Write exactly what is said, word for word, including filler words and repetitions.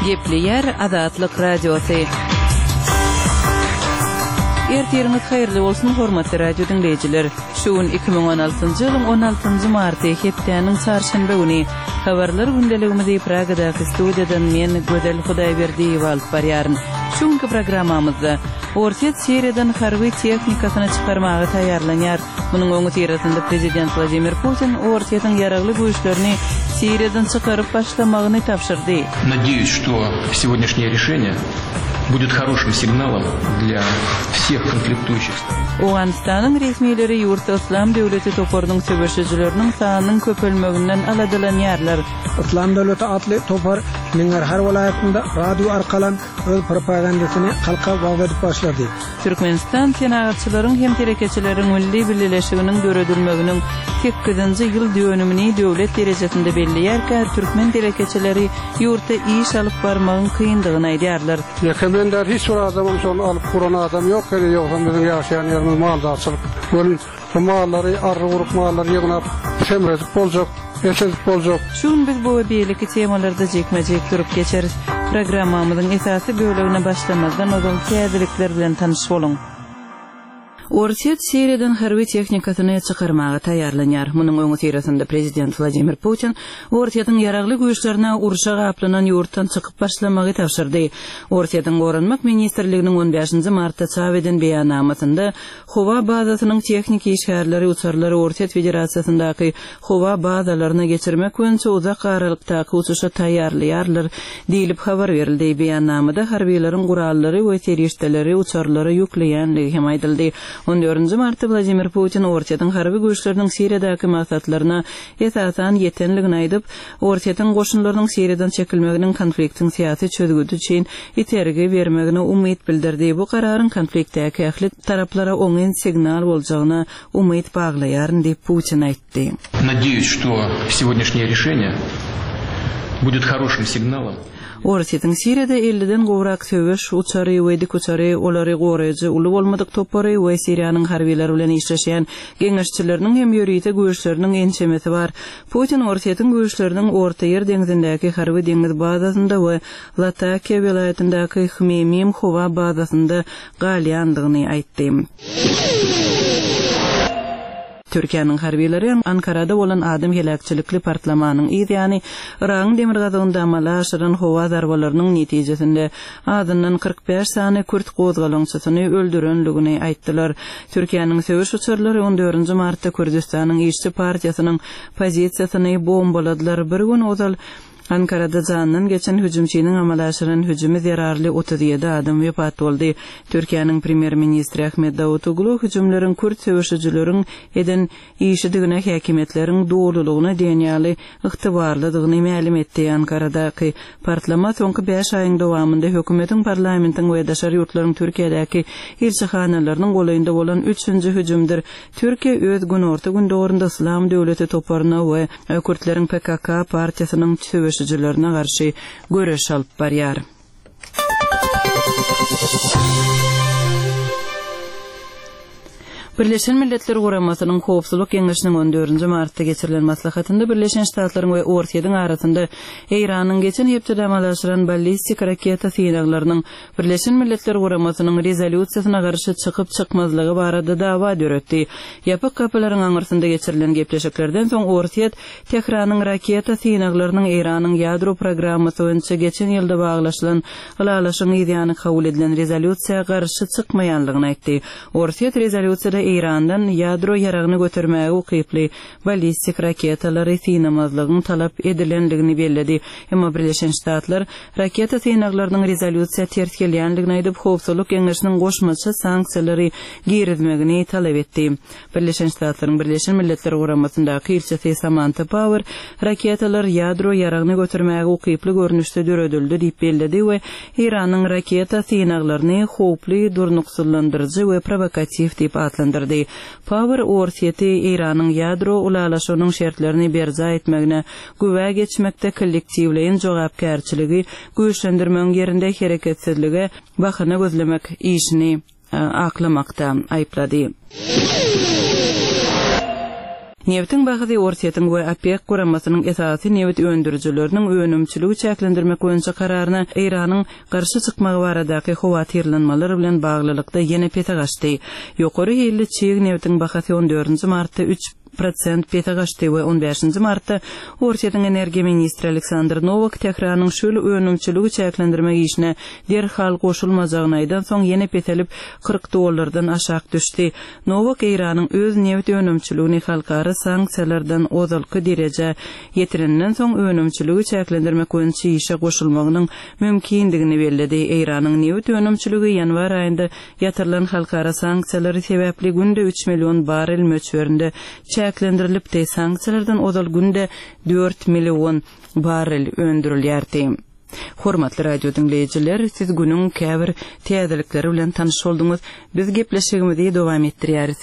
Gepleýär Azatlyk Radiosy. Ertiriňiz haýyrly bolsun, hormatly radio diňleýjiler. Şu gün iki müň on altynjy ýylyň on altynjy marty, hepdäniň çarşenbe güni. Habarlar gündeligimizi Pragadaky studiýadan men, Gözel Hudaýberdiýewa alyp barýaryn. Şu günki programmamyzda, Orsýet Siriýadan harby tehnikasyny çykarmaga taýýarlanýar. Munuň öňüsyrasynda prezident Wladimir Putin Orsýetiň ýaragly güýçlerini Siriýadan çykaryp başlamagyny tabşyrdy. Надеюсь, что сегодняшнее решение будет хорошим signalom для всех konfliktuющих сторон. Owganystanyň resmileri ýurtda Yslam döwleti toparynyň söweşijileriniň sanynyň köpelmeginden aladalanýarlar. Yslam döwleti atly topar Nangarhar welaýatynda radio arkalan öz propagandasyny halka wagyz edip başlady. Türkmenistan Senagatçylaryň hem telekeçileriň milli bileleşiginiň döredilmeginiň sekizinji ýyl dönümini döwlet derejesinde belleýärkä, türkmen telekeçileri ýurtda iş alyp barmagyň kyndygyny aýdýarlar. Ýeke men däl, hiç bir adamam şony alyp guran adam ýok, ýöne ýogsam biziň ýaşaýan ýerimiz maldarçylyk. Welin bu mallary arry gurup mallary ýygnap semredip boljak, et edip boljak. Şu gün biz bu we beýleki temalarda jikme-jik durup geçeris. Programmamyzyň esasy bölegine başlamazdan ozal täzelikler bilen tanyş boluň. Orsýet Siriýadan harby tehnikasyny çykarmaga taýýarlanýar. Munuň öňüsyrasynda prezident Wladimir Putin Orsýetiň ýaragly güýçlerine urşa gaplanan ýurtdan çykyp başlamagy tabşyrdy. Orsýetiň Goranmak ministrliginiň on bäşinji martda çap eden beýannamasynda howa bazasynyň tehniki işgärleri uçarlary Orsýet Federasiýasyndaky howa bazalaryna geçirmek boýunça uzak aralykdaky uçuşa taýýarlaýarlar diýlip habar berildi. Beýannamada harbiýlaryň gurallary we serişdeleri uçarlara ýükleýänligi hem aýdyldy. On dördünji martda Wladimir Putin Orsýetiň harby güýçleriniň Siriýadaky maksatlaryna esasan ýetenligini aýdyp, Orsýetiň goşunlarynyň Siriýadan çekilmeginiň konfliktiň syýasy çözgüdi üçin itergi bermegine umyt bildirdi. Bu kararyň konfliktdäki ähli taraplara oňyn signal boljagyna umyt baglaýaryn diýip Putin aýtdy. Надеюсь, что сегодняшнее решение будет хорошим signalom. Orsýetiň Siriýada elliden gowrak söweş uçary we dik uçary, olary goraýjy uly bolmadyk topary we Siriýanyň harbylary bilen işleşýän geňeşçileriniň hem ýörite güýçleriniň ençemesi bar. Putin Orsýetiň güýçleriniň Orta Ýer deňzindäki harby deňiz bazasynda we Latakiýa welaýatyndaky Hmeýmim howa bazasynda galýandygyny aýtdy. Türkiýäniň harbylary Ankarada bolan adam heläkçilikli partlamanyň yz ýany Yragyň demirgazygynda amala aşyran howa zarbalarynyň netijesinde azyndan kyrk bäş sany kürt gozgalaňçysyny öldürenligini aýtdylar. Türkiýäniň söweş uçarlary on dördünji martda Kürdüstanyň işçi partiýasynyň pozisiýasyny bombaladylar. Bir gün ozal Ankarada jandan geçen hüjümçiniň amala aşyran hüjümi zerarly otuz ýedi adam wepat boldy. Türkiýäniň premýer-ministri Ahmet Davutoglu hüjümleriň kürt söweşijileriň eden işidigine häkimiýetleriň dolulygyna diýen ýaly ygtybarlydygyny mälim etdi. Ankaradaky partlama soňky bäş aýyň dowamynda hökümetiň, parlamentiň we daşary ýurtlaryň Türkiýedäki ilçihanalarynyň golaýynda bolan üçünji hüjümdir. Türkiýe öz günorta gündogurynda Yslam döwleti toparyna we kürtleriň P K K partiýasynyň söweşijilerine garşy göreş alyp barýar. Birleşen Milletler Guramasynyň Howpsuzlyk Geňeşiniň on dördünji martda geçirilen maslahatynda Birleşen Ştatlaryň we Orsýetiň arasynda Eýranyň geçen hepdede amala aşyran ballistik raketa synaglarynyň Birleşen Milletler Guramasynyň rezolýusiýasyna garşy çykyp çykmazlygy barada dawa döretdi. Ýapyk gapylaryň aňyrsynda geçirilen gepleşiklerden soň Orsýet Tehranyň raketa synaglarynyň Eýranyň ýadro programmasy boýunça geçen ýylda baglaşylan ylalaşyň yzýany kabul edilen rezolýusiýa garşy çykmaýanlygyny aýtdy. Orsýet rezolýusiýada Eýrandan ýadro ýaragyny götermäge ukyply ballistik raketalary synamazlygyň talap edilenligini belledi. Emma Birleşen Ştatlar raketa synaglarynyň rezolýusiýa ters gelýänligini aýdyp, Howpsuzlyk Geňeşiniň goşmaça sanksiýalary girizmegini talap etdi. Birleşen Ştatlaryň Birleşen Milletler Guramasyndaky ilçisi Samantha Power raketalar ýadro ýaragyny götermäge ukyply görnüşde döredildi diýip belledi we Eýranyň raketa synaglaryny howply, durnuksyzlandyryjy we provokatiw diýip atlandyrdy. Power Orsýeti Eýranyň ýadro ulalaşygynyň şertlerini berjaý etmegine güwä geçmekde kollektiwleýin jogapkärçiligi güýçlendirmegiň ýerinde hereketsizlige bahana gözlemek işini, e, aklamakda aýyplady. Nebitiň bahasy Orsýetiň we OPEK guramasynyň esasy nebit öndürijileriniň önümçiligi çäklendirmek boýunça kararyna Eýranyň garşy çykmagy baradaky howatyrlanmalar bilen baglylykda ýene pese gaçdy. Ýokary hilli çig nebitiň bahasy on dördünji martda üç prosent pese gaçdy we on bäşinji martda Orsýetiň energiýa ministri Aleksandr Nowak Tähranyň şu ýyl önümçiligi çäklendirmek işine derhal goşulmajagyny aýdan soň ýene peselip kyrk dollardan aşak düşdi. Nowak Eýranyň öz nebit önümçiligini halkara sanksiýalardan ozalky derejä ýetirenden soň önümçiligi çäklendirmek boýunça işe goşulmagynyň mümkindigini belledi. Eýranyň nebit önümçiligi ýanwar aýynda ýatyrylan halkara sanksiýalary sebäpli günde üç million barrel möçberinde çäklendirilipdi. Sanksiýalardan ozal günde dört million barrel öndürilýärdi. Hormatly radio diňleýjiler, siz günüň käbir täzelikleri bilen tanyş bolduňyz. Biz gepleşigimizi dowam etdirýäris.